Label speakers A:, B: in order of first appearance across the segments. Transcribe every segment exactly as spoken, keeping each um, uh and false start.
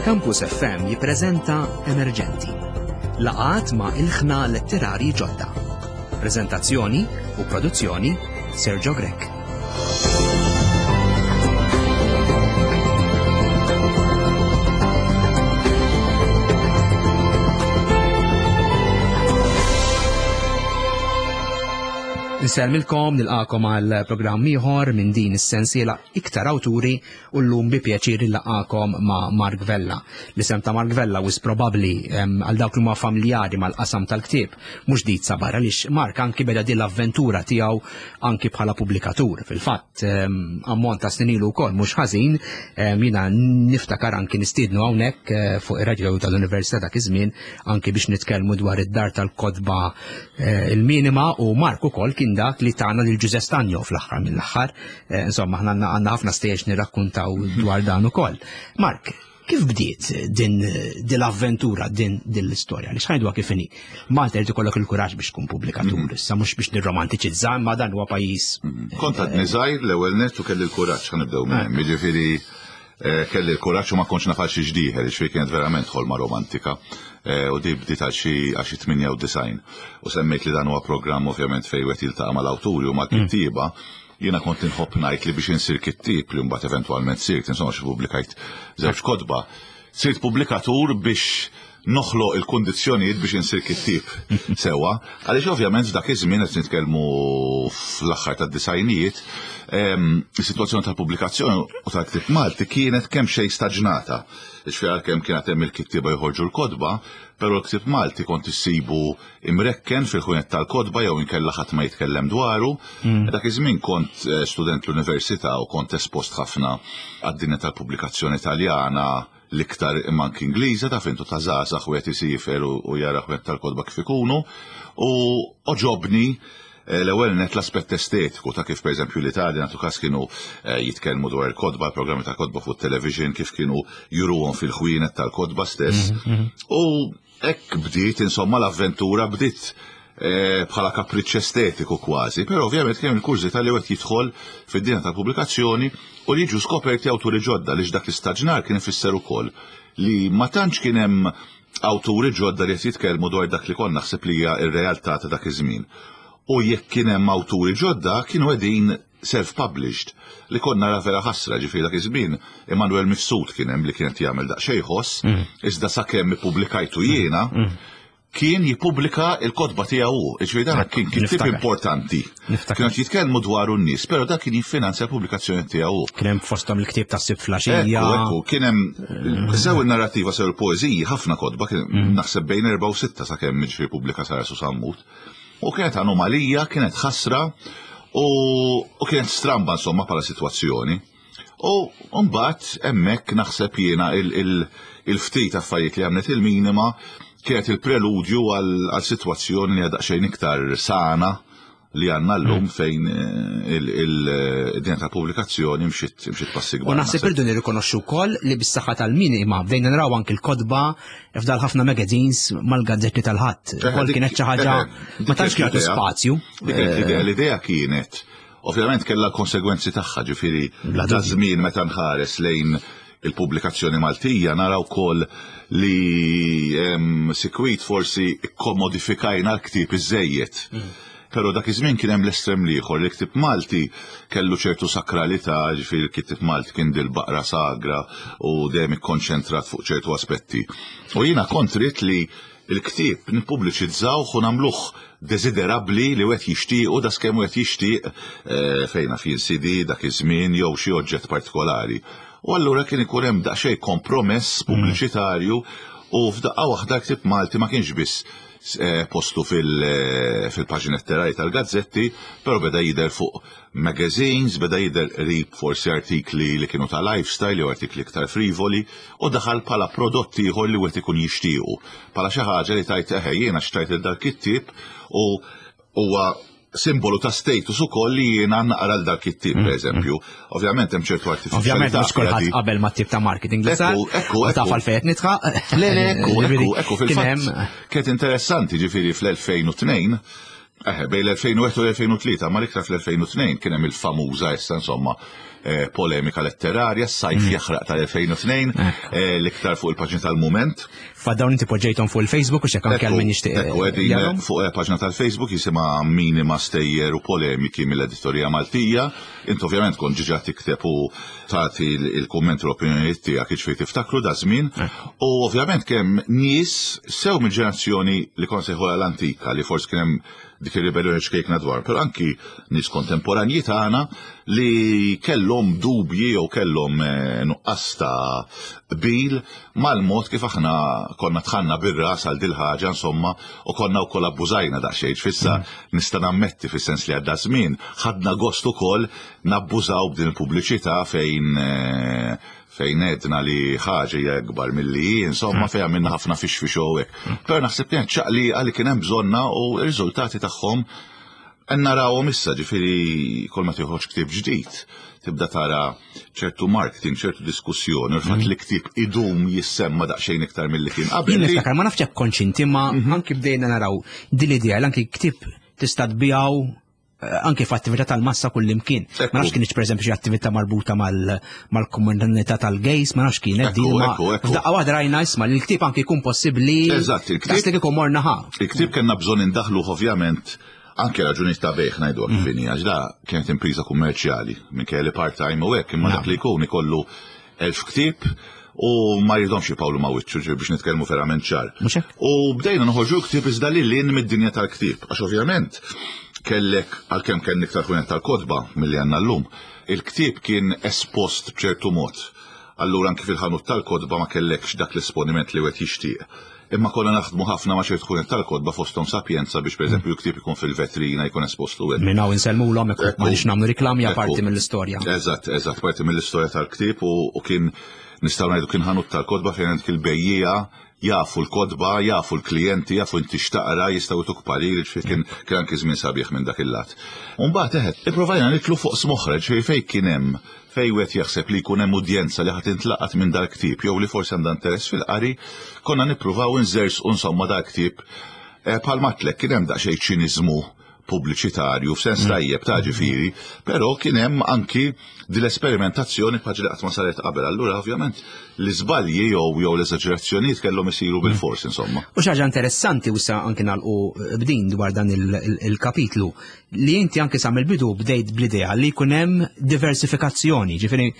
A: Campus F M jippreżenta Emerġenti. Laqgħat ma' ilħna letterari ġodda. Preżentazzjoni u produzzjoni Sergio Grech. Nsellmilkom, nilqakom għal programm ieħor minn din is-sensiela iktar awturi u llum bi pjaċir nilqakom ma' Mark Vella. L-isem ta' Mark Vella wis probabbli, em, għal dawk li huma familjari mal-qasam tal-ktieb mhux ġdid sabar għaliex Mark anki beda din l-avventura tiegħu anki bħala pubblikatur. Fil-fatt, em, ammont ta' snin ilu wkoll mhux ħażin, em, jiena niftakar anki nistiednu hawnhekk, eh, fuq ir-radju tal-Università dak iż-żmien anki biex nitkellmu dwar id-dar tal-kotba, eh, il-minima u Mark ukoll kien dak li tagħna lil Ġużè Stagno fl-aħħar mill-aħħar. Eh, insomma, aħna għandna, għandna ħafna stejjex nirrakkuntaw dwar dan ukoll. Mark, kif bdiet din, din l-avventura, din, din l-istorja? Li xħajdu kif inhi? Malta jrid ikollok il-kuraġġ biex tkun pubblikatur,
B: Mhm.
A: issa mhux biex nirromantiċizza, imma dan huwa pajjiż.
B: Mhm. Kont għadni żgħir l-ewwel nett u kelli l-kuraġġ, ħa nibdew minn hemm. Jiġifieri, eh, kelli l-kuraġġ u ma kontx naf għal xi ġdieħel, jiġifieri kienet verament ħolma romantika. Eh, u di bdiet għal xi, għal xi tmienja u disgħin. U semmejt li dan huwa programm ovvjament fejn wieħed jiltaqa' mal-awturi u mal-kittieba. Jiena kont inħobb ngħid li biex insir kittieb li mbagħad eventwalment sirt, insomma xi pubblikajt żewġ kotba. Sirt pubblikatur biex noħloq il-kundizzjonijiet biex insir kittieb sewwa, għaliex ovvjament f'dak iż-żmien qed nitkellmu fl-aħħar tad-disajnijiet, ehm, is-sitwazzjoni tal-pubblikazzjoni u tal-ktieb Malti kienet kemm xejn staġnata. Ġifieri għalkemm kienet hemm il-kittieba joħorġu l-kotba, però l-ktieb Malti kont issibu imrekken fil-ħwienet tal-kotba jew inkella ħadd ma jitkellem dwaru.
A: Mm.
B: Dak iż-żmien kont, eh, student l-università u kont espost ħafna għad-dinja tal-pubblikazzjoni Taljana, l-iktar imma anki Ingliża, ta' fintu ta' żgħażagħ wieħed isifer u, u jara ħwienet tal-kotba kif ikunu, u oġobni, eh, l-ewwel net l-aspett estetiku ta' kif pereżempju l-Italja nagħtu każ kienu, eh, jitkellmu dwar il-kotba, il-programmi ta' kotba fuq television, kif kienu juruhom fil-ħwienet tal-kotba stess.
A: Mhm, mhm.
B: U hekk bdiet, insomma, l-avventura bdiet, eh, bħala kapriċċ estetiku kważi, però ovvjament kien il-kurżità li wieħed jidħol fid-dinja tal-pubblikazzjoni u li jiġu skoperti awturi ġodda, għaliex dak l-istaġnar kien ifisser ukoll li ma tantx kien hemm awturi ġodda li qed jitkellmu dwar dak li konna naħseb li hija r-realtà ta' dak iż-żmien. U jekk kien hemm awturi ġodda kienu qegħdin self-published, li konna nara vera ħasra, ġifieri dak iż-żmien Immanuel Mifsud kien hemm li kien qed jagħmel daqsxejn ħoss,
A: Mm.
B: iżda sakemm ippubblikajtu jiena,
A: Mm.
B: kien jippubblika l-kotba tiegħu hu. Ġifieri dan kien kittieb
A: Niftakar.
B: importanti.
A: Niftakar.
B: Kienu qed jitkellmu dwaru n-nies, però dak kien jiffinanzja l-pubblikazzjoni tiegħu hu.
A: Kien hemm fosthom il-ktieb ta' Sibt Flaxija.
B: Ekku, ekku, kien hemm sew in-narrativa sew il-poeżiji, ħafna kotba, kien
A: Mm.
B: naħseb bejn erba' u sitta sakemm jiġifieri pubblika Sara Sammut. U kienet anomalija, kienet ħasra u, u kienet stramba insomma bħala sitwazzjoni. U mbagħad hemmhekk naħseb jiena il-, il-, il-ftit affarijiet li għamlet il-minima kienet il-preludju għal, għal sitwazzjoni li għadha xejn iktar sana li għandna llum
A: Mm.
B: fejn, eh, il-, il-, id-dinja tal-pubblikazzjoni mxiet, mxiet passi kbar.
A: U naħseb irridu nirrikonoxxu wkoll li bis-saħħa tal-minima bdejna naraw anki l-kotba f'dal ħafna magazines mal-gazzetti tal-ħadd.
B: Eh,
A: Ukoll
B: dik-
A: kienet xi ħaġa
B: eh,
A: ma tantx
B: dik
A: kien
B: l-idea.
A: spazju.
B: Dik kienet l-idea, l-idea kienet, ovvjament kellha l-konsegwenzi tagħha, ġifieri
A: Bla
B: ta'
A: dubju.
B: żmien meta nħares lejn il-pubblikazzjoni Maltija naraw ukoll li, ehm, sikwit forsi kkommodifikajna l-ktieb iżejjed.
A: Mm.
B: Però dak iż-żmien kien hemm l-estrem l-ieħor, li ktieb Malti kellu ċertu sakralità, ġifieri l-ktieb Malti kien dil-baqra sagra u dejjem ikkonċentrat fuq ċertu aspetti. U jiena kont ridt li l-ktieb nippubbliċizzawh u nagħmluh desiderabbli li wieħed jixtieq u daskemm wieħed jixtieq, eh, fejn fien C D dak iż-żmien jew xi oġġett partikolari. U allura kien ikun hemm daqsxejn kompromess
A: Mm.
B: pubbliċitarju u f'daqqa waħda ktieb Malti ma kienx biss, eh, postu fil-, eh, fil-paġni letterari tal-gazzetti, però beda jidher fuq magazines, beda jidher qrib forsi artikli li kienu ta' lifestyle jew artikli iktar frivoli, u daħal bħala prodott ieħor li wieħed ikun jixtiequ. Bħala xi ħaġa li tajt eħe jiena xtajt il dak it-tip u huwa simbolu ta' status ukoll li jiena naqra l dak it-tip,
A: Mm,
B: per eżempju. Ovvjament hemm ċertu artificialità
A: Ovvjament mhux kulħadd
B: fiha di.
A: qabel ma' tip ta' marketing li sar.
B: Ekku, ekku,
A: U taf
B: ekku.
A: għalfejn qed nitħaq.
B: Le, le, ekku,
A: Ġifieri,
B: ekku, ekku,
A: kien
B: fil-fatt
A: hemm
B: kienet interessanti, ġifieri fl-elfejn u tnejn Eħe, bejn l-elfejn u wieħed u l-elfejn u tlieta, ma l-iktar fl-elfejn u tnejn kien hemm il-famuża issa insomma eh, polemika letterarja, s-sajf mm. jaħraq tal-elfejn u tnejn, eh, l-iktar fuq il-paġna tal-Mument.
A: Fa dawn inti poġġejthom fuq il-Facebook u x'hekk anke għal min jixtieq.
B: Ekku, qegħdin fuq paġna tal-Facebook jisimha Minima Stejjer u Polemiki mill-Editorija Maltija. Int ovvjament kont ġiġa tikteb u tagħti il-kumment u l-opinjonijiet tiegħek, jiġifieri tiftakru da żmien. U ovvjament kemm nies sew mill-ġenerazzjoni li kont sejħu l-antika li forsi kien hemm dik ir-ribellioni ċkejkna dwar, però anki nies kontemporanji tagħna li kellhom dubji jew kellhom nuqqas ta' qbil mal-mod kif aħna konna dħalna bir-ras għal dil-ħaġa insomma u konna wkoll abbużajna daqsxejn. Fissa nista' nammetti fis-sens li għadda żmien ħadna gost ukoll nabbużaw b'din il-pubbliċità fejn fejn edna li ħaġa hija akbar milli hi, insomma fejn għamilna ħafna fix fix u hekk. Però naħseb kienet ċaqli għalli kien hemm bżonna u r-riżultati tagħhom narawhom issa, ġifieri kol ma tieħodx ktieb ġdid, tibda tara ċertu marketing, ċertu diskussjoni, u l-fatt li ktieb idum jissemma daqsxejn iktar milli kien qabel.
A: Jien niftakar, ma nafx jekk kontx inti, ma anki bdejna naraw din l-idea li anki ktieb tista' tbiegħu anke f'attività tal-massa kullimkien. Ma nafx kienx pereżempju xi attività marbuta mal-komunità tal-gays, ma nafx kienet din. F'daqqa waħda rajna isma' li l-ktieb anke jkun possibbli.
B: Eżatt, il-ktieb.
A: Daqs li kieku morna ħa.
B: Il-ktieb kellna bżonn indaħlu ovvjament anke raġuni ta' bejħ ngħidu kif inhi, għax da kienet impriża kummerċjali minkejja li part-time u hekk, imma dak li jkun ikollu elf ktieb u ma jridhomx jipawlu ma' wiċċu, ġifieri biex nitkellmu verament ċar.
A: Mhux hekk?
B: U bdejna noħorġu ktieb iżda lil hinn mid-dinja tal-ktieb, għax ovvjament kellek għalkemm kien iktar ħwienet tal-kotba milli għandna llum, il-ktieb kien espost b'ċertu mod. Allura anki fil-ħanut tal-kotba ma kellekx dak l-esponiment li wieħed jixtieq. Imma konna naħdmu ħafna ma' ċertu ħwienet tal-kotba fosthom Sapienza biex pereżempju l-ktieb ikun fil-vetrina, jkun espost u hekk.
A: Minn hawn insellmulhom hekk ma nix nagħmlu riklami parti mill-istorja.
B: Eżatt, eżatt, parti mill-istorja tal-ktieb u kien nistgħu ngħidu kien ħanut tal-kotba fejn għandek il-bejjiegħa jafu l-kotba, jafu l-klijenti, jafu inti x'taqra, jistgħu jtuk parir, ġifieri kien kien anki żmien sabiħ minn dak il-lat. U mbagħad eħed, ipprovajna nitlu fuq smoħra, ġifieri fejn kien hemm fejn wieħed jaħseb li jkun hemm udjenza li ħadd intlaqat minn dal-ktieb jew li forsi għandha interess fil-qari, konna nippruvaw inżersqu insomma dal-ktieb. Bħal matlek kien hemm daqsxejn ċiniżmu pubbliċitarju f'sens tajjeb ta' ġifieri, però kien hemm anki din l-esperimentazzjoni bħal li qatt ma saret qabel. Allura ovvjament l-iżbalji jew jew l-eżaġerazzjonijiet kellhom isiru bil-fors insomma.
A: U xi ħaġa interessanti u sa anki nagħlqu b'din dwar dan il-kapitlu li inti anki sa mill-bidu bdejt bl-idea li jkun hemm diversifikazzjoni, ġifieri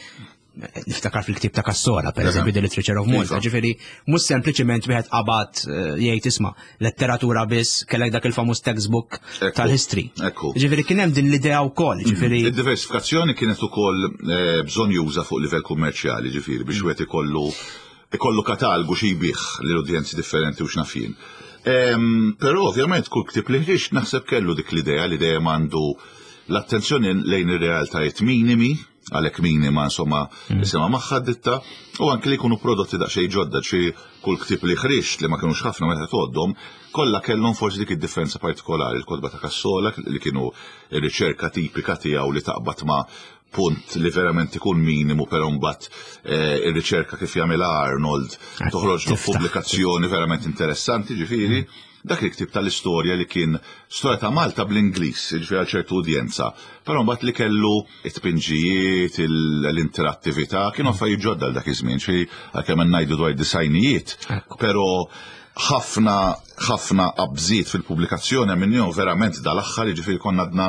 A: niftakar fil-ktib ta' Cassola, per eżempju, The Literature of Malta, ġifieri mhux sempliċiment wieħed qabad jgħid isma' letteratura biss, kellek dak il-famuż textbook tal-history. Ġifieri kien hemm din l-idea wkoll, ġifieri.
B: Id-diversifikazzjoni kienet ukoll bżonn juża fuq livell kummerċjali, ġifieri biex wieħed ikollu ikollu katalgu xi jbigħ lil udjenzi differenti u x'naf jien. Però ovvjament kull ktib li ħriġt naħseb kellu dik l-idea li dejjem għandu l-attenzjoni lejn ir-realtajiet minimi, għalhekk minima insomma isimha magħha ditta, u anke li jkunu prodotti daqsxejn ġodda, xi kull ktib li ħriġt li ma kinux ħafna meta tgħoddhom, kollha kellhom forsi dik id-differenza partikolari, il-kotba ta' Cassola li kienu r-riċerka tipika tiegħu li taqbad ma' punt li verament ikun minimu, però mbagħad ir-riċerka kif jagħmilha Arnold toħroġ pubblikazzjoni verament interessanti, ġifieri. Dak il-ktib tal-istorja li kien storja ta' Malta bl-Ingliż, ġifieri għal ċertu udjenza, però mbagħad li kellu it-tpinġijiet, l-interattività, kienu affarijiet ġodda għal dak iż-żmien, ġifieri għalkemm ngħidu dwar disajnijiet, però ħafna ħafna qabżiet fil-pubblikazzjoni minnhom verament dal-aħħar, jiġifieri konna għadna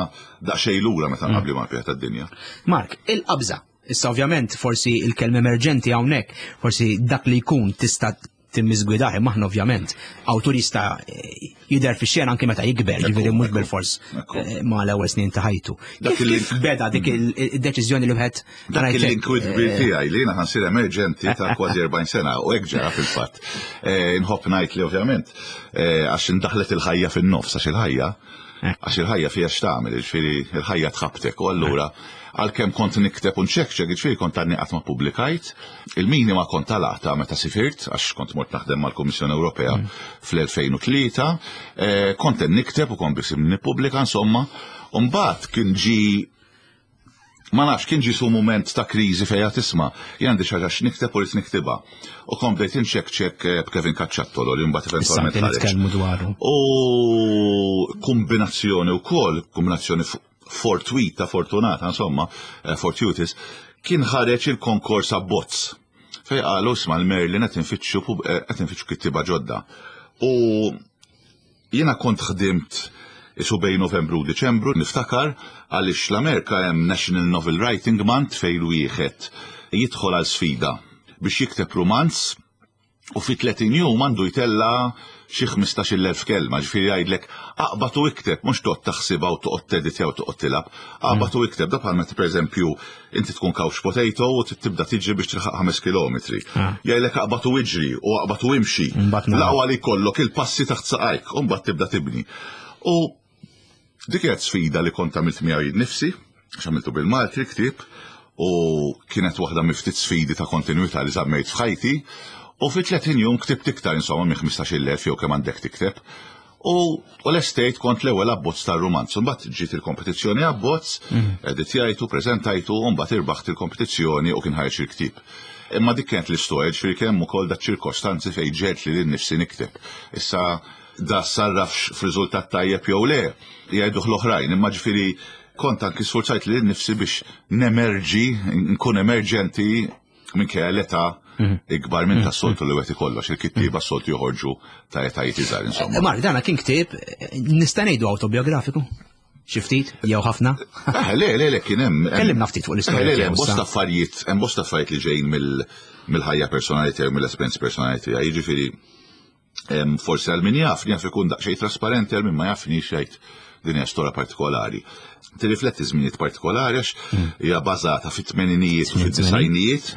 B: daqsxejn lura meta nqabli mal-pjata tad-dinja.
A: Mark, il-qabża. Issa ovvjament forsi il-kelma emerġenti hawnhekk, forsi dak li jkun tista' timmiżgwidah, imma aħna ovvjament awtur jista' jidher fix-xena anke meta jikber, ġifieri mhux bil-fors ma' l-ewwel snin ta' ħajtu. Kif beda dik id-deċiżjoni li wieħed
B: Dak il-inkwit kbir tiegħi li jiena ħansir emerġenti ta' kważi erbgħin sena u hekk ġara fil-fatt. Inħobb ngħid li ovvjament għax indaħlet il-ħajja fin-nofs, għax il-ħajja għax il-ħajja fiha x'tagħmel, jiġifieri il-ħajja tħabtek u allura għalkemm kont nikteb u nċekċek, jiġifieri kont għadni qatt ma ppubblikajt, il-minima kont talata meta sifirt, għax kont mort naħdem mal-Kummissjoni Ewropea fl-elfejn u tlieta, kont nikteb u kont biss nippubblika insomma, u mbagħad kien ġi Ma nafx, kien ġisu moment ta' kriżi fejn tisma', jien għandi xi ħaġa x'nikteb u rrid niktibha. U kont bdejt inċekċek eh, b'Kevin Cacciattolo li mbagħad
A: Issa
B: eventwalment
A: anke
B: ħareġ.
A: nitkellmu dwaru.
B: U kombinazzjoni u kol, kombinazzjoni f- fortuita, fortunata, insomma, eh, fortuitous, kien ħareġ il-konkors abbozz. Fej qalu isma' l-Merlin qed infittxu pub- eh, qed infittxu kittiba ġodda. U jiena kont ħdimt isu bejn Novembru u Diċembru, niftakar għaliex l-Amerika hemm National Novel Writing Month fejn wieħed jidħol għal sfida biex jikteb romanz u fi tletin jum għandu jtella xi ħmistax-il elf kelma, ġifieri jgħidlek aqbad u ikteb, mhux toqgħod taħsibha u toqgħod teditja u toqgħod tilgħab, aqbad u ikteb, da bħal meta pereżempju inti tkun couch potato u tibda tiġri biex tilħaq ħames kilometri.
A: Ah.
B: Jgħidlek aqbad u iġri u aqbad u imxi.
A: Mbagħad nara.
B: L-aqwa li jkollok il-passi taħt saqajk, u mbagħad tibda tibni. U dik kienet sfida li kont għamilt miegħi jien nifsi, għax għamiltu bil-Malti l-ktieb, u kienet waħda miftit sfidi ta' kontinuità li żammejt f'ħajti, u fi tletin jum ktibt iktar insomma minn ħmistax-il elf jew kemm għandek tikteb. U, u l-estate kont l-ewwel abbozz tar-rumanz. Mbagħad ġiet il-kompetizzjoni abbozz, editjajtu, preżentajtu, u mbagħad irbaħt il-kompetizzjoni u kien ħareġ il-ktieb. Imma dik kienet l-istorja, ġifieri kemm ukoll da ċirkostanzi fejn ġiet li lil nifsi nikteb. Issa da sarrafx f'riżultat tajjeb jew le, jgħiduh l-oħrajn, imma ġifieri kont anki sforzajt lil nifsi biex nemerġi, nkun emerġenti minkejja l-età ikbar minn tas-soltu li wieħed ikollox, il-kittieba s-soltu joħorġu ta' etajiet iżgħar insomma.
A: Mark, dana kien ktieb, eh, nista' ngħidu autobiografiku? Xi ftit jew ħafna?
B: Eh, le, le, le, kien hemm.
A: Kellimna ftit fuq l-istorja
B: Eh, Le, le,
A: tiegħu
B: hemm bosta
A: issa.
B: affarijiet, hemm bosta affarijiet li ġejjin mill- mill-ħajja personali tiegħu, mill-esperjenzi personali tiegħi. Jiġifieri em, forsi għal min jaf, jaf ikun daqsxejn trasparenti, għal min ma jafni xejn din hija storja partikolari. Tirrifletti żminijiet partikolari għax hija bażata fit-tmeninijiet u fid-disgħinijiet,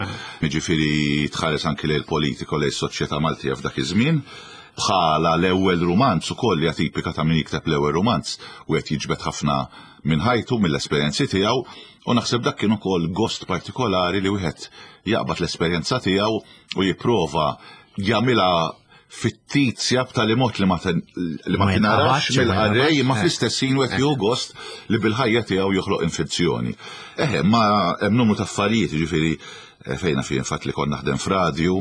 B: jiġifieri tħares anki lejn politiko lejn soċjetà Maltija f'dak iż-żmien. Bħala l-ewwel rumanz ukoll hija tipika ta' min jikteb l-ewwel rumanz u qed jiġbed ħafna minn ħajtu, mill-esperjenzi tiegħu, u naħseb dak kien ukoll gost partikolari li wieħed jaqbad l-esperjenza tiegħu u jipprova jagħmilha fittizja b'tali mod li ma ten- li ma
A: Ma
B: tinarax
A: jinqabadx, ma
B: mill-qarrej
A: jinqabadx,
B: ma
A: eh.
B: fl-istess ħin wieħed jieħu gost li bil-ħajja tiegħu joħloq infezzjoni. Eħe, ma hemm numru ta' affarijiet, jiġifieri eh, fejna fi fatt li kont naħdem f'radju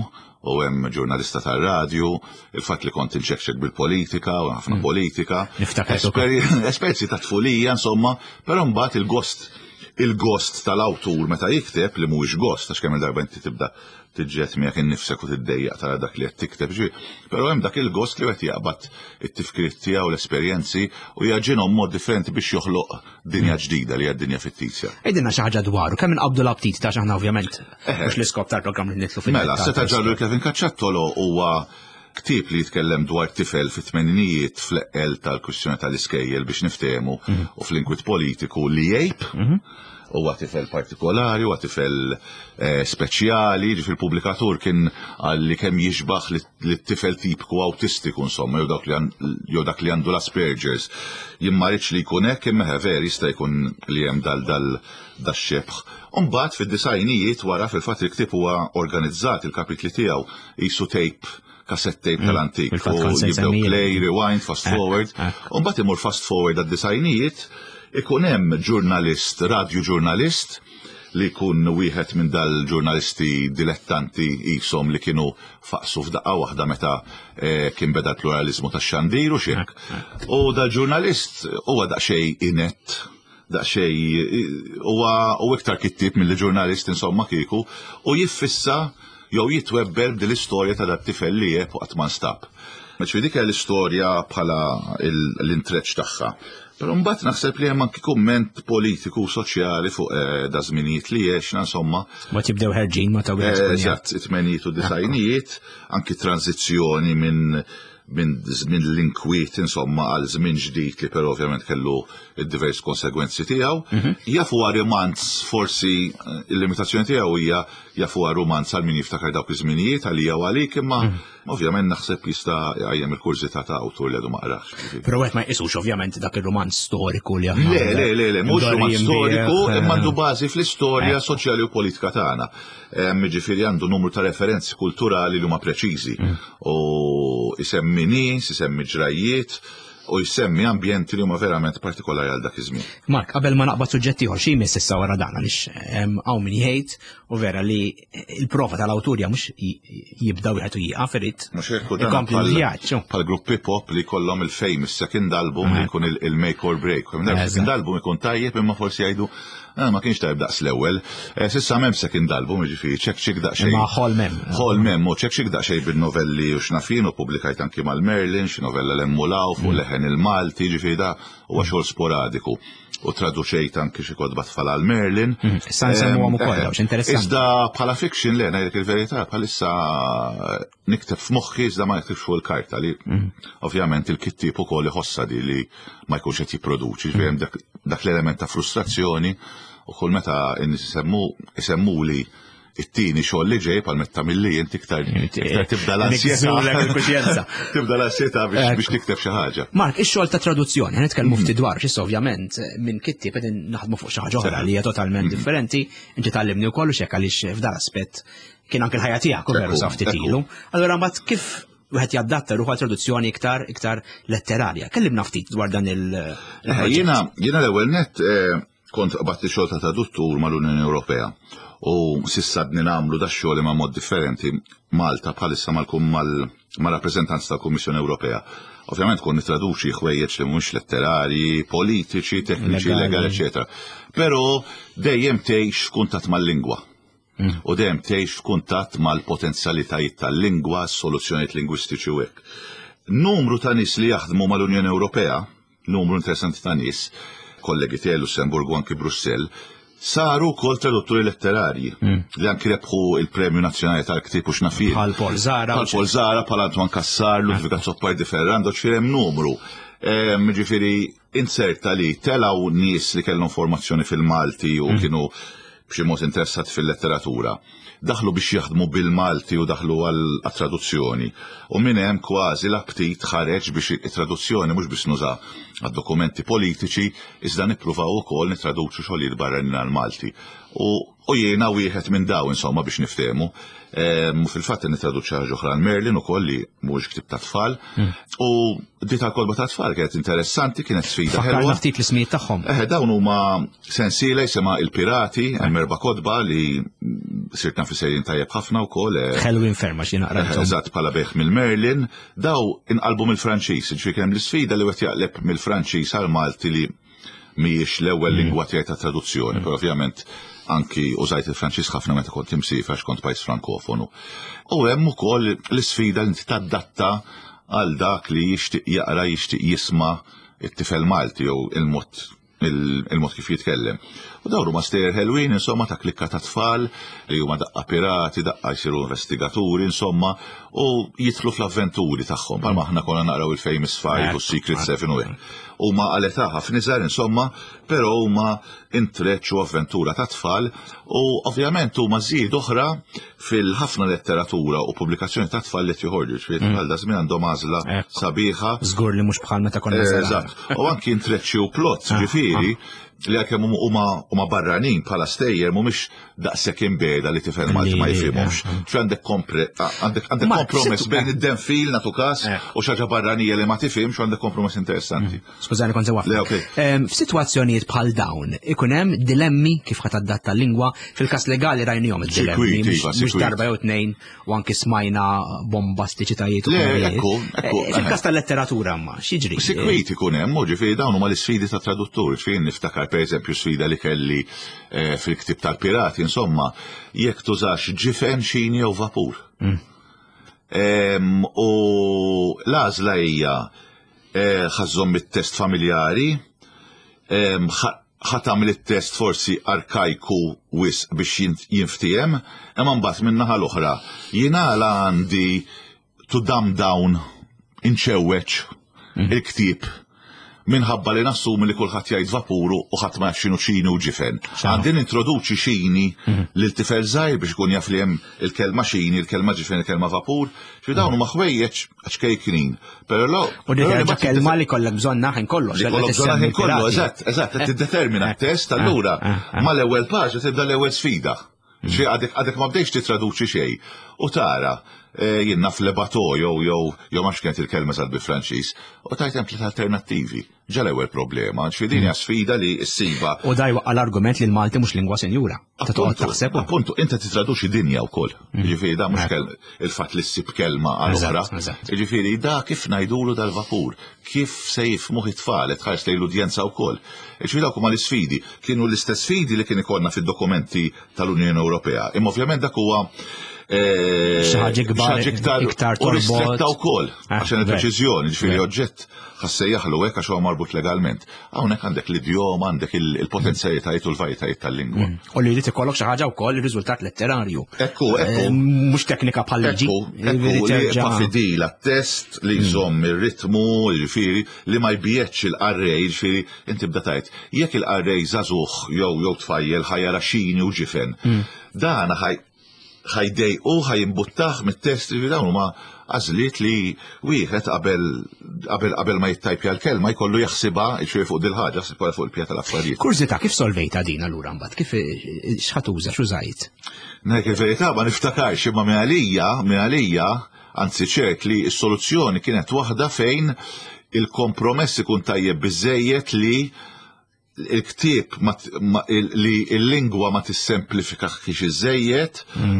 B: u hemm ġurnalista tar-radju, il-fatt li kont inċekċek bil-politika u ħafna politika.
A: Niftakar ukoll.
B: Esperi- Esperjenzi ta' tfulija, insomma, però mbagħad il-gost il-gost tal-awtur meta jikteb li mhuwiex gost għax kemm il-darba inti tibda tiġġed miegħek innifsek u tiddejjaq tara dak li qed tikteb ġi. Però hemm dak il-gost li qed jaqbad it-tifkiriet tiegħu, l-esperjenzi u jagħġinhom mod differenti biex joħloq dinja ġdida li hija dinja fittizja.
A: Għidilna xi ħaġa dwaru, kemm inqabdu l-aptit ta' aħna ovvjament. Mhux l-iskop tal-programm li nidħlu fil
B: Mela, seta ġarru Kevin Cacciattolo huwa ktieb li jitkellem dwar tifel fit-tmeninijiet fl-eqqel tal-kwistjoni tal-iskejjel biex niftehmu u fl-inkwit politiku li jgħib. Huwa tifel partikolari, huwa tifel eh, speċjali, ġifieri il-pubblikatur kien għalli kemm jixbaħ li tifel tipiku autistiku insomma, jew dak li għan- jew dak li għandu l-Asperger's. Jien ma rridx li jkun hekk, imma ver jista' jkun li hemm dal dal dax-xebħ. Umbagħad fid-disgħinijiet wara fil-fatt il-ktieb huwa organizzat, il-kapitli tiegħu qisu tape, cassette tape tal-antik.
A: Fil-fatt
B: U
A: kont se
B: jibdew
A: nsemmija.
B: play, rewind, fast forward.
A: eh.
B: Umbagħad imur fast forward għad-disgħinijiet, ikun hemm ġurnalist, radio ġurnalist, li jkun wieħed minn dal-ġurnalisti dilettanti jisom li kienu faqsu f'daqqa waħda meta eh, kien beda l-pluralizmu tax-xandir u xek. U dal-ġurnalist huwa daqsxejn inet, daqsxejn huwa u iktar kittib mill ġurnalist insomma kieku, u jiffissa jew jitwebbel b'dil istorja ta' dat-tifel li jeb u qatt ma nstab. Ġifieri dik hija l-istorja bħala il- l-intreċ tagħha. Però mbagħad naħseb li hemm anki kumment politiku u soċjali fuq eh, da żminijiet li għexna insomma.
A: Ma tibdew ħerġin ma ta' wieħed
B: Eh,
A: ikun jaf.
B: Eżatt, it-tmenijiet u disgħinijiet, anki tranzizzjoni minn minn żmien l-inkwiet insomma għal żmien ġdid li però ovvjament kellu id-divers konsegwenzi tiegħu. Jaf huwa romanz forsi eh, il-limitazzjoni tiegħu hija jaf huwa romanz għal min jiftakar dawk iż-żminijiet għalija u għalik, imma ovvjament naħseb jista' jqajjem il-kurżità ta' awtur li għadu ma qrax.
A: Però wieħed ma jqisux ovvjament dak ir-romanz storiku li aħna.
B: Le, le, le, le, mhux romanz
A: Mdorrijin
B: storiku,
A: bih,
B: imma għandu bażi fl-istorja soċjali u politika tagħna. Em, Ġifieri għandu numru ta' referenzi kulturali li huma preċiżi. U isemmi nies, isemmi ġrajiet, u jsemmi ambjenti li huma verament partikolari għal dak iż-żmien.
A: Mark, qabel ma naqbad suġġett ieħor, xi jmiss issa wara dan, għaliex hawn min jgħid u vera li il-prova tal-awturja mhux jibda wieħed u jieqaf, irid
B: Mhux hekk, u dan
A: ikompli
B: bħal-
A: l-vjaġġ.
B: bħal gruppi pop li kollhom il-famous second album li jkun il- il-make or break. Second album ikun tajjeb, imma forsi jgħidu, "Ah, ma kienx tajjeb daqs l-ewwel." Eh, S'issa m'hemm second album, jiġifieri ċek ċik daqsxejn.
A: Imma ħolm hemm.
B: Ħolm hemm, u ċek ċik daqsxejn bil-novelli u x'naf jien, u publikajt anki mal-Merlin, xi novella l-Emmulaw fuq Leħen il-Malti, ġifieri da huwa xogħol sporadiku. U traduċejt anki xi kotba tfal għal Merlin.
A: Issa nsemmuhom ukoll,
B: Eh,
A: dawn, x'interessanti.
B: Iżda bħala fiction le, ngħidlek il-verità, bħalissa nikteb f'moħħi, iżda ma niktibx fuq il-karta, li ovvjament il-kittib ukoll iħossa di li ma jkunx qed jipproduċi, ġifieri hemm dak, dak l-element ta' frustrazzjoni, u kull meta n-nies isemmu isemmuli it-tieni xogħol li ġej, bħal meta milli inti iktar iktar tibda l-ansjetà.
A: Nigżulek il-kuxjenza.
B: Tibda l-ansjetà biex biex tikteb xi ħaġa.
A: Mark, ix-xogħol ta' traduzzjoni, ħa nitkellmu ftit dwar, x'issa ovvjament minn kittieb qegħdin naħdmu fuq xi ħaġa oħra li hija totalment differenti, inti tgħallimni wkoll u xek, għaliex f'dal aspett kien anke l-ħajja tiegħek u veru
B: Ekku,
A: sa ftit
B: ekku.
A: ilu. Allura mbagħad kif wieħed jadatta ruħu għal traduzzjoni iktar iktar letterarja? Kellimna ftit dwar dan il-
B: Eh,
A: il-proġett.
B: Jiena jiena l-ewwel net eh, kont qbadt xogħol ta' traduttur mal-Unjoni Ewropea u s'issa għadni nagħmlu da xogħol ma' mod differenti Malta bħalissa mal-kum mal-rappreżentanza tal-Kummissjoni Ewropea. Ovvjament kon nitraduċi ħwejjeġ li mhux letterari, politiċi, tekniċi,
A: Legali.
B: legali, eċetera. Però dejjem tgħix f'kuntatt mal-lingwa. U dejjem tgħix f'kuntatt mal-potenzjalitajiet tal-lingwa, soluzzjonijiet lingwistiċi u hekk. Numru ta' nies li jaħdmu mal-Unjoni Ewropea, numru interessanti ta' nies, kollegi tiegħi Lussemburgu, anki Brussell, saru wkoll tradutturi letterarji li anki rebħu il-Premju Nazzjonali tal-Ktieb u x'naf jien.
A: Bħal Paul Zahra.
B: Bħal Paul Zahra, bħal Antoine Cassar, Ludwig Azzopardi Ferrando, ġifieri hemm numru. Em, Ġifieri inserta li telaw nies li kellhom formazzjoni fil-Malti u kienu b'xi mod interessati fil-letteratura. Daħlu biex jaħdmu bil-Malti u daħlu għal-traduzzjoni. U minn hemm kważi l-aptit ħareġ biex it-traduzzjoni mhux biex nuża għad-dokumenti politiċi, iżda nippruvaw ukoll nitraduċu xogħlijiet barranin għal-Malti. U, u jiena wieħed minn daw, insomma, biex niftehmu. Em, U fil-fatt nitraduċi ħaġa oħra għal Merlin ukoll li mhuwiex ktieb ta' tfal. U di tal-kotba ta' tfal kienet interessanti, kienet sfida
A: Fakkarna
B: ħelwa.
A: ftit l-ismijiet tagħhom.
B: Eh, dawn huma sensiela jisimha Il-Pirati, hemm erba' kotba li sirt naf sejrin tajjeb ħafna wkoll. eh,
A: Ħelwin ferma xi
B: eh,
A: naqrajthom.
B: Eżatt, bħala bejgħ mill-Merlin, daw inqalbu mill-Franċiż, ġifieri hemm l-isfida li wieħed jaqleb mill-Franċiż għal Malti li mhijiex l-ewwel lingwa tiegħi ta' traduzzjoni, però ovvjament anki użajt il-Franċiż ħafna meta kont imsiefer għax kont pajjiż frankofonu. U hemm ukoll l-isfida li inti tadatta għal dak li jixtieq jaqra, jixtieq jisma' it-tifel Malti jew il-mod il- il-mod kif jitkellem. U dawn huma stejjer ħelwin, insomma, ta' klikka ta' tfal li huma daqqa pirati, daqqa jsiru investigaturi, insomma, u jidħlu fl-avventuri tagħhom. Bħalma aħna konna naqraw il-Famous Five u Secret Seven u hekk. Huma għal età ħafna iżgħar, insomma, però huma intreċ u avventura ta' tfal u ovvjament huma żied oħra fil-ħafna letteratura u pubblikazzjoni ta' tfal li joħorġu, ġifieri tfal da żmien għandhom għażla
A: Ekku.
B: sabiħa.
A: Żgur li mhux bħal meta konna żgħar.
B: Eżatt. U anki intreċċi u plot, ġifieri, li għalkemm huma huma barranin bħala stejjer mhumiex daqshekk imbeda li tifel Malti ma
A: Li-
B: jifhimhomx. Ġifieri għandek kompre għandek għandek
A: Ma,
B: kompromess
A: situ-
B: bejn id-denfil natu każ
A: Eh.
B: u xi ħaġa barranija li ma tifhimx, u għandek kompromess interessanti.
A: Skużani, kont se
B: Le, okej.
A: F'sitwazzjonijiet bħal dawn ikun hemm dilemmi kif ħa tadatta l-lingwa. Fil-każ legali rajnihom id-dilemmi,
B: Sikwit,
A: mhux
B: iva,
A: mhux
B: sikwit.
A: darba jew tnejn, u anki smajna bombastiċitajiet u
B: Le,
A: kumerijiet.
B: ekku, ekku,
A: Eh, Fil-każ tal-letteratura ma x'jiġri?
B: Sikwit ikun hemm, u ġifieri dawn huma l-isfidi ta' traduttur. Ġifieri niftakar pereżempju sfida li kelli eh, fil-ktib tal-pirati, insomma, jekk tużax ġifen, xini jew vapur. Em, U l-għażla hija eh, ħa żżomm it-test familjari, em, ħa ħa tagħmel it-test forsi arkajku wisq biex jint- jinftiehem, imma mbagħad min-naħa l-oħra jiena għala għandi to dumb down, inċewweċ il-ktieb minħabba li nassumi li kulħadd jgħid vapuru u ħadd ma jaf x'inhu xini u ġifen. Għandi nintroduċi xini lil tifel żgħir biex ikun jaf li hemm il-kelma xini, il-kelma ġifen, il-kelma vapur. Xi dawn huma ħwejjeġ ċkejknin. Però lo,
A: U dik
B: però li
A: ħaġa
B: ma
A: kelma li kollek bżonna ħin kollox.
B: li kollok bżonna ħin kollu, eżatt, eżatt, qed tiddetermina t-test, allura
A: eh, eh.
B: mal-ewwel paġna tibda l-ewwel sfida. Xi għadek għadek ma bdejx titraduċi xejn. U tara, eh, jien naf le bateau jew jew jew ma kienet il-kelma sal bi Franċiż, u tajt hemm tliet alternattivi. Ġa l-ewwel problema, ġifieri din hija sfida li ssiba.
A: U da jwaqqa' l-argument li l-Malti mhux lingwa senjura. Ta' toqgħod taħseb.
B: Appuntu, inti titraduċi dinja wkoll. Ġifieri da mhux il-fatt li ssib kelma għal oħra. Ġifieri da kif ngħidulu dal-vapur, kif se jifhmuh it-tfal, tħares lejn l-udjenza wkoll. Ġifieri dawk huma l-isfidi. Kienu l-istess sfidi li kien ikollna fid-dokumenti tal-Unjoni Ewropea. Imma ovvjament dak huwa
A: xi ħaġa ikbar, iktar
B: u ristretta wkoll għax il-preċiżjoni, ġifieri oġġett ħa ssejjaħlu hekk għax huwa marbut legalment. Hawnhekk għandek l-idjoma, għandek il-potenzjalitajiet u l-varjetajiet tal-lingwa.
A: U li jrid ikollok xi ħaġa wkoll ir-riżultat letterarju.
B: Ekku, ekku.
A: Mhux teknika bħal liġi.
B: Ekku, li jibqa' fidil għat-test li jżomm ir-ritmu, ġifieri li ma jbiegħedx il-qarrej, ġifieri inti bda tajt. Jekk il-qarrej żagħżugħ jew jew tfajjel ħa jara xini u ġifen. Dan ħaj ħa jdejqu, ħa jimbuttah mit-test li dawn huma għażliet li wieħed qabel qabel qabel ma jittajpja l-kelma jkollu jaħsibha ġifieri fuq dil-ħaġa, jaħsibha fuq il-pija tal-affarijiet.
A: Kurżità, kif solvejta din allura mbagħad? Kif x'ħa tuża, x'użajt?
B: Nek il-verità ma niftakarx, imma minn għalija, minn għalija, anzi ċert li s-soluzzjoni kienet waħda fejn il-kompromess ikun tajjeb biżejjed li il-ktieb li il-lingwa ma tissemplifikax iżejjed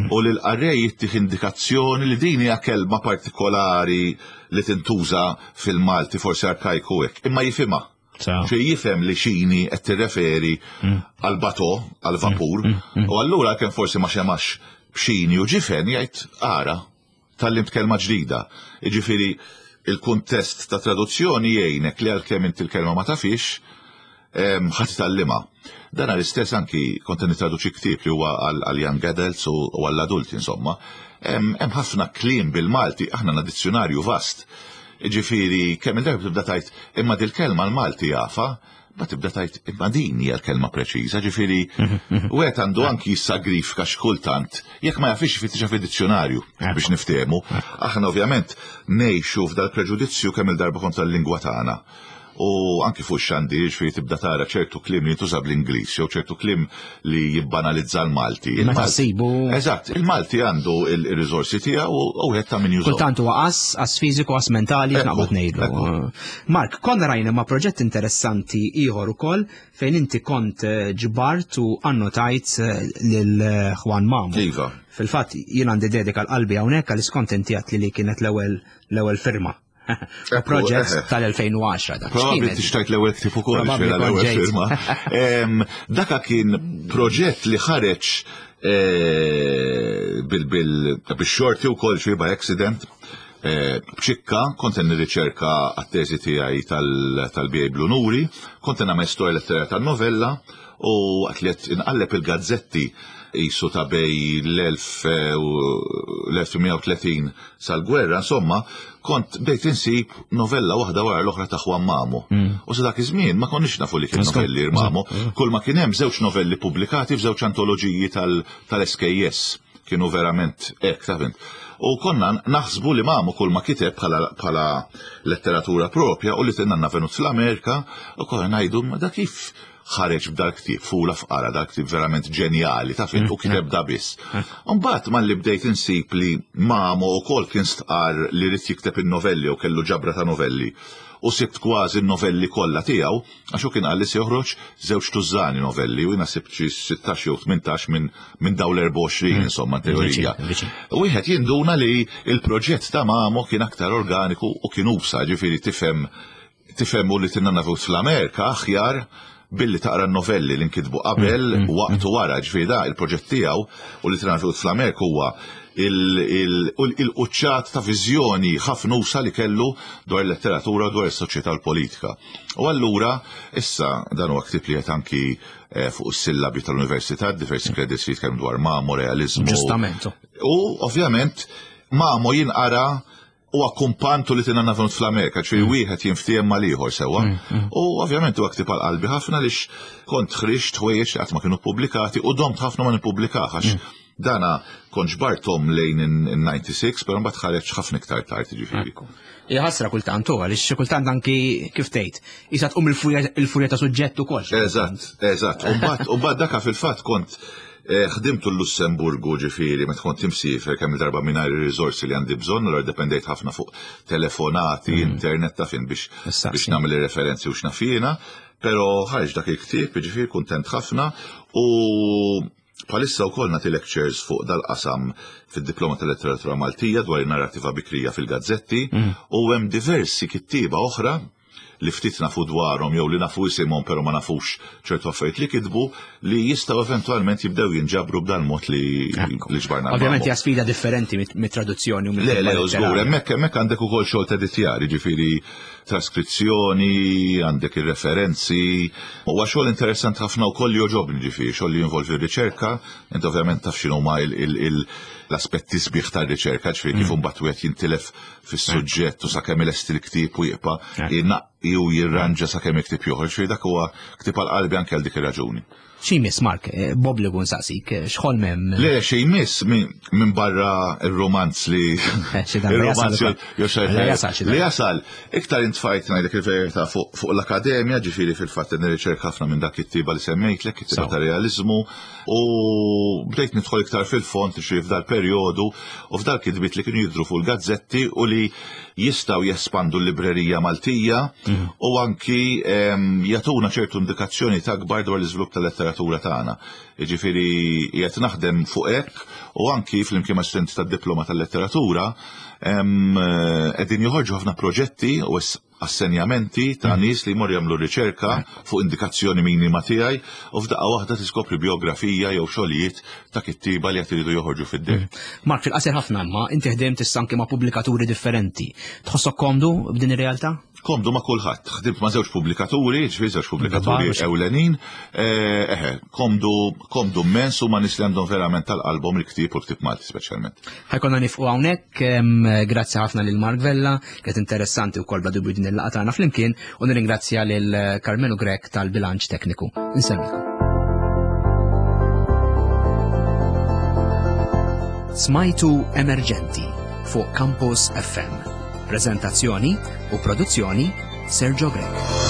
B: u li l-qarrej jittih indikazzjoni li din hija kelma partikolari li tintuża fil-Malti, forsi arkajku hekk, imma jifhimha. Xi jifhem li xini qed tirreferi għal bateau, għal vapur, u allura kemm forsi ma xemax b'xini u ġifen jgħid ara, tgħallimt kelma ġdida. Jiġifieri il-kuntest ta' traduzzjoni jgħinek li għalkemm inti l-kelma ma tafix, ħa titgħallimha. Dan l-istess anki kont nitraduċi ktieb li huwa għal young adults u għall-adulti insomma. Hemm ħafna kliem bil-Malti, aħna għandna dizzjonarju vast. Ġifieri kemm il-darba tibda tajt imma dil-kelma l-Malti jafa, ma tibda tajt imma din hija l-kelma preċiża, ġifieri wieħed għandu anki jissagrifika x'kultant jekk ma jafix jfittixha fid-dizzjonarju biex niftehmu. Aħna ovvjament ngħixu f'dal-preġudizzju kemm il-darba kontra l-lingwa tagħna. U anki fuq xandir, ġifieri tibda tara ċertu kliem li jintuża bl-Ingliż, jew ċertu kliem li jibbanalizza l-Malti.
A: Meta ssibu.
B: Eżatt, il-Malti għandu il-riżorsi tiegħu u wieħed ta' min jużaw.
A: Kultant huwa qas, qas fiżiku, qas mentali, x'naqbad ngħidlu. Mark, konna rajna ma' proġett interessanti ieħor ukoll fejn inti kont ġbart u annotajt lil Juan Mamo.
B: Iva.
A: Fil-fatt jien għandi dedika l-qalbi hawnhekk għal skont inti għedt li kienet l-ewwel l-ewwel firma. Proġett tal-elfejn u għaxra dak.
B: Probabbli tixtajt l-ewwel ktieb ukoll, ġifieri l-ewwel firma. Daka kien proġett li ħareġ bil-xorti wkoll xi by accident. B'ċikka, kont nirriċerka għat-teżi tiegħi tal-B A Blunuri, kont nagħmel storja letterarja tan-novella u waqt li qed inqalleb il-gazzetti jisu ta' bej l-elf u mija u tletin sal-gwerra, insomma, kont bdejt insib novella waħda wara l-oħra ta' Juan Mamo. U sa dak iż-żmien ma konniex nafu li kien novelli Mamo. Kull ma kien hemm żewġ novelli pubblikati f'żewġ antoloġiji tal-S K S. Kienu verament hekk, taf int. U konna naħsbu li Mamo kull ma kiteb bħala letteratura propja u li tinna venut fl-Amerika u konna ngħidu ma da kif ħareġ b'dal ktieb, fula fqara, dal ktieb verament ġenjali, taf int, u kiteb da biss. Mbagħad malli bdejt insib li Mamo wkoll kien stqar li rid jikteb in-novelli u kellu ġabra ta' novelli. U sibt kważi n-novelli kollha tiegħu, għax hu kien qal li se joħroġ żewġ tużżani novelli, u jiena sibt xi sittax jew tmintax minn dawn l-erbgħa u għoxrin, insomma, teorija. U wieħed jinduna li il-proġett ta' Mamo kien aktar organiku u kien usa, ġifieri tifhem tifhem u li tinna nafu fl-Amerika aħjar billi taqra n-novelli li nkitbu qabel
A: Mm, mm,
B: waqt u wara, ġifieri da il-proġett tiegħu u li tinna nafu fl-Amerika huwa il-quċċat ta' viżjoni ħafna usa li kellu dwar il-letteratura u dwar is-soċjetà u l-politika. U allura issa dan huwa ktieb li qed anki, eh, fuq is-sillabi tal-università, diversi credits li jitkellmu dwar Mamo, realizmu.
A: Ġustament.
B: U ovvjament Mamo jinqara u akkumpantu li tinna nafnu fl-Amerika, ċfiri
A: Mm.
B: wieħed jinftiehem mal-ieħor sewwa.
A: Mm, mm.
B: U ovvjament huwa ktieb għal qalbi ħafna lix kont ħriġt ħwejjeġ li qatt ma kienu pubblikati u domt ħafna ma nippubblikah għax
A: Mm.
B: dana kont ġbarthom lejn in-ninety-six, però mbagħad ħareġ ħafna iktar tard, jiġifieri.
A: Ekku. Hija ħasra kultant u għaliex xi kultant anki kif tgħid, isa tqum il-furja, il-furja ta' suġġett ukoll xi kultant.
B: Eżatt, eżatt. U mbagħad, u mbagħad daka fil-fatt kont Eh, ħdimtu l-Lussemburgu, ġifieri, meta kont imsiefer kemm darba mingħajr ir-riżorsi li għandi bżonn, allura dependejt ħafna fuq telefonati, mm. internet ta' fin biex biex nagħmel ir-referenzi u x'naf jiena, però ħareġ dak il-ktieb, ġifieri kuntent ħafna, u bħalissa wkoll nagħti lectures fuq dal-qasam fid-diploma tal-letteratura Maltija dwar in-narrativa bikrija fil-gazzetti, mm. u hemm diversi kittieba oħra li ftit nafu dwarhom jew li nafu isimhom però ma nafux ċertu affarijiet li kitbu, li jistgħu eventwalment jibdew jinġabru b'dal mod li li ġbarna.
A: Ovvjament hija sfida differenti mit-traduzzjoni u
B: Le, le, żgur, hemmhekk hemmhekk għandek ukoll xogħol t'editjar, jiġifieri traskrizzjoni, għandek ir-referenzi. Huwa xogħol interessant ħafna wkoll li jogħġobni, ġifieri xogħol li jinvolvi r-riċerka, inti ovvjament taf x'inhuma l-aspetti sbieħ tar-riċerka, ġifieri kif imbagħad wieħed jintilef fis-suġġett u sakemm ilesti l-ktieb u jibqa' jnaqqi u jirranġa sakemm il-ktieb joħroġ, ġifieri dak huwa ktieb għal qalbi anke għal dik ir-raġuni.
A: X'imiss, Mark, eh, b'obbligu nsaqsik, eh, x'ħolm hemm?
B: Le, x'imiss minn barra il-romanz li.
A: Eh,
B: Il-romanz li jasal. Iktar intfajt, ngħidlek il-verità, fuq l-akademja, ġifieri fil-fatt nirriċerka ħafna minn dak it-tiba li semmejtlek, it-tiba ta' realizmu, u bdejt nidħol iktar fil-fond ġifieri f'dal perjodu u f'dal kitbiet li kienu jidru fuq il-gazzetti u li jistgħu jespandu l-librerija Maltija mhm. u anki jagħtuna ċertu indikazzjoni ta' kbar dwar l-iżvilupp tal-letteratura tagħna. Jiġifieri qiegħed naħdem fuq hekk u anki flimkien ma' studenti tad-diploma tal-letteratura qegħdin joħorġu ħafna proġetti u assenjamenti ta' mm. nies li jmorru jagħmlu riċerka fuq indikazzjoni minima tiegħi u f'daqqa waħda tiskopri biografija jew xogħlijiet ta' kittiba li qed iridu joħorġu fid-der.
A: Mm. Mark, fil-qasir ħafna, imma inti ħdimt issa anke ma' pubblikaturi differenti. Tħossok komdu b'din ir-realtà?
B: Komdu ma' kulħadd. Ħdimt ma' żewġ pubblikaturi, ġifieri żewġ pubblikaturi ewlenin. Eh, eħe, komdu komdu immens u ma' nies li għandhom verament tal-qalbhom il-ktieb u l-ktieb Malti speċjalment.
A: Ħa jkollna nieqfu hawnhekk, grazzi ħafna lil Mark Vella, kienet interessanti wkoll bla dubju din il-laqgħa tagħna flimkien, u nirringrazzja lil Carmelo Grech tal-bilanċ tekniku. Insellmilkom. Smajtu Emerġenti fuq Campus F M. Prezentazzjoni u produzzjoni Sergio Grech.